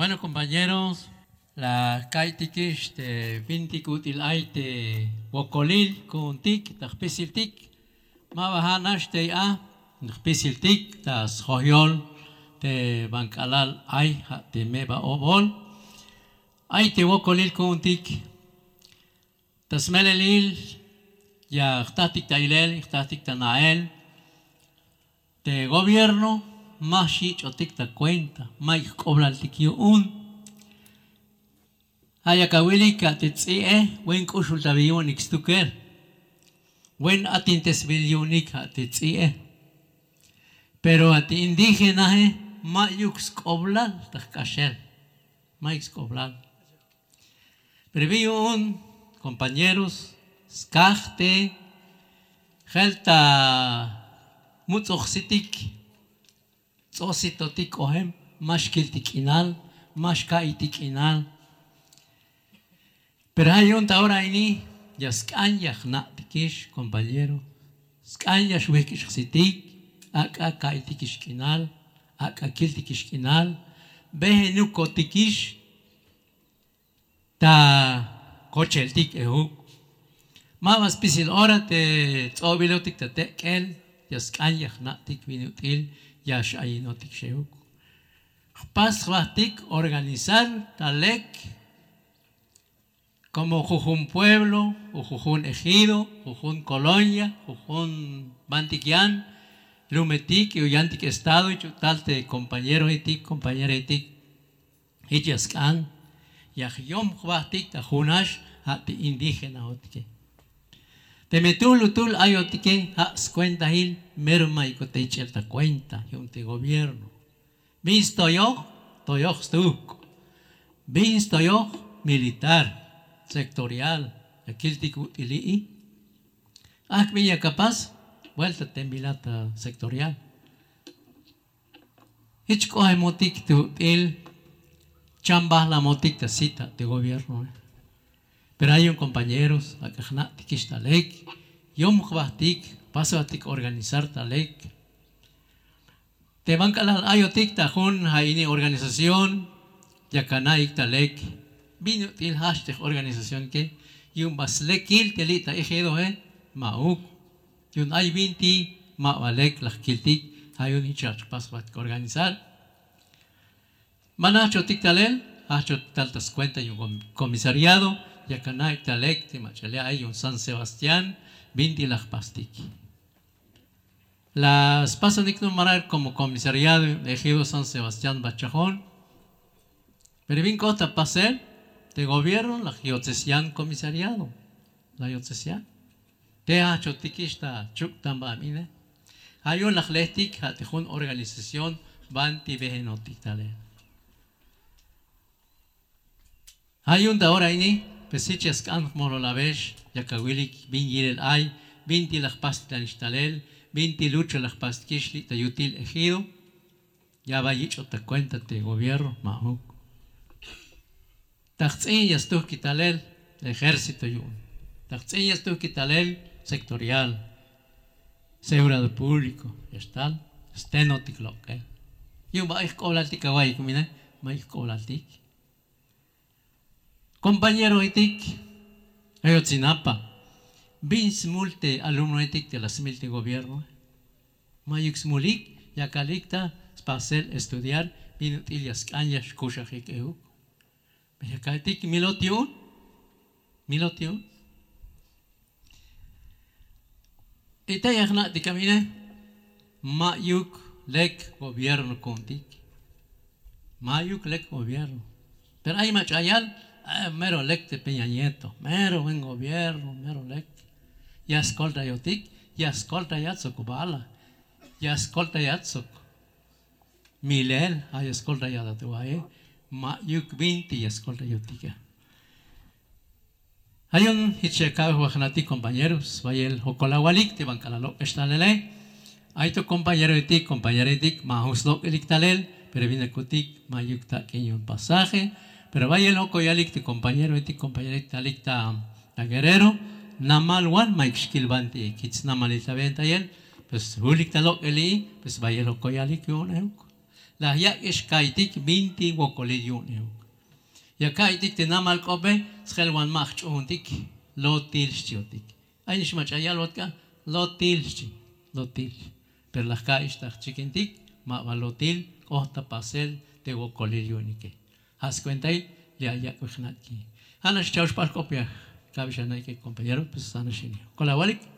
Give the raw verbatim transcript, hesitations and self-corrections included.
Bueno, compañeros, la jka'iytikix te bintik ut'il ay te wokolil ku'untik ta jpisiltik. Ma ba ja' nax tey a jpisiltik ta sjoyol te ban k'alal ay ja' te meba obol. Ay te wokolil ku'untik. Ta smelelil ya jtatik ta ilel, jtatik ta na'el. Te gobierno ma xyich'otik ta cuenta, mayuk jk'oblaltik yu'un. Ja' yak awilik ja' te ts'i'e, buen k'uxultabil yu'unik stukel. Buen atintesbil yu'unik ja' te ts'i'e. Pero ja' te indígenae mayuk sk'oblal ta jk'axel. Mayuk sk'oblal. Pero bin yu'un, compañeros, skaj te jel ta muts'oj jsitik, ts'o jsitotik k'ojem, ma xkiltik k'inal, ma xka'iytik k'inal. Pero ja' yu'un ta ora ini ya sk'an ya jna'tikix, compañero. Sk'an ya xwijk' xjsitik, ak'a ka'iytikix k'inal, ak'a kiltikix k'inal, bejenukotikix ta kocheltik ejuk. Ma ba spisil ora te ts'obilotik ta tek'el ya sk'an ya jna'tik bin ut'il ya x'ayinotik xejuk. Jpas jbajtik organizar ta lek como jujun pueblo, o jujun ejido, jujun colonia, jujun bantik yan lumetik o yantik estado, jich ut'il te compañeroetik, compañeraetik. Jich ya sk'an ya jyom jbajtik ta junax ja' te indígenaotike. Teme tu'lutul ayotike ja' scuentail, mero mayukot ta yich'el ta cuenta yu'un te gobierno. Bin stoyoj, toyoj stuuk'. Bin stoyoj, militar, sectorial, ya kiltik ut'il li'i. Ajk' bin yak apas, vuelta te bila ta sectorial. Jich k'ojemotik te ut'il, chambajlamotik ta sit ja' te gobiernoe. Pero ay yu'un compañeros, ak'a jna'tikix ta lek, yom jbajtik, jpas jbajtik organizar ta lek. Te ban k'alal ayotik ta jun ja' ini organización, yak ana'ik ta lek bin ut'il jajch te jorganizaciónke, yu'un ba slekil te li' ta ejidoe, ma'uk. Yu'un ay binti ma ba lek la jkiltik, ja' yu'un jich ya jpas jbajtik organizar. Ma jajchotik talel, jajchotik tal ta scuenta yu'un com-, comisariado, yak ana'ik ta lek te mach'a li' ay yu'un San Sebastián, binti la jpastik. La spasonik numarar como comisariado ejido San Sebastián Bachajon. Pero bin k'ot ta pasel, te gobierno la yotzes yan comisariado. La yotzes yan. Te jajchotikix ta chuktan ba ine. Ja' yu'un la jlejtik ja' te jun organización banti bejenotik talel. Ja' yu'un ta ora ini, pues jich ya sk'an jmololabex, yak awilik bin yilel ay, binti la jpastik tanix talel, binti lucha la jpastikix li' ta yutil ejido. Ya ba yich'ot ta cuenta te gobierno, ma'uk. Ta jts'in ya stujkil talel ejército yu'un. Ta jts'in ya stujkil talel sectorial, seguridad público, ya xtal stenotik lok'el. Yu'un ba ay jk'oblaltik awa'iyik bin ine, ma ay jk'oblaltik. Compañeroetik, Ayotzinapa, bin smul te alumnoetik te la smil te gobierno. Ma'yuk smulik, yakalik ta spasel estudiar bin ut'il ya sk'an ya xkuxajik euk. Yakalik milot yu'un, milot yu'un. Y te ya jna'tik a bin ine, ma'yuk lek gobierno ku'untik. Ma'yuk lek gobierno. Pero ay mach'a yal, eh, mero lek te Peña Nieto, mero buen gobierno, mero lek. Ya skoltayotik, ya skoltayat sok bala, ya skoltayat sok milel, ay ya skoltayat a te waye, ma'yuk binti ya skoltayotik a. Ja' yu'un jich ya ka'oj ba jna'tik compañeros, bayel jokol awalik te ban k'alal lok'ex talele. Ay to compañeroetik, compañeraetik, ma jun slok'elik talel, pero bin akutik, ma'yuk tak'in yu'un pasaje. Pero bayel jokol yalik te compañeroetik, compañeraetik te alik ta, ta Guerrero, namal wan, ma'yuk xkil banti jich snamalil ta bentayel, pues julik ta lok'eli, pues bayel jokol yalik yu'un euk. La yak'ix ka'iytik binti wokolil yu'un euk. Ya ka'iytik te namal k'ope, sjel wan ma jch'uuntik. Lotil xchiotik. Ay nix mach'a yalbot k'a, lotil xchi. Lotil. Pero la jka'iyix ta jchikintik, ma ba lotil. K'ot ta pasel te wokolil yu'unike. Ja' skuentail li' ay yak'bej na'iki. Ja' nax cha'ox p'al k'op ya kabix ana'ike, kompañero. Pues ja' nax ini. Jokol awalik.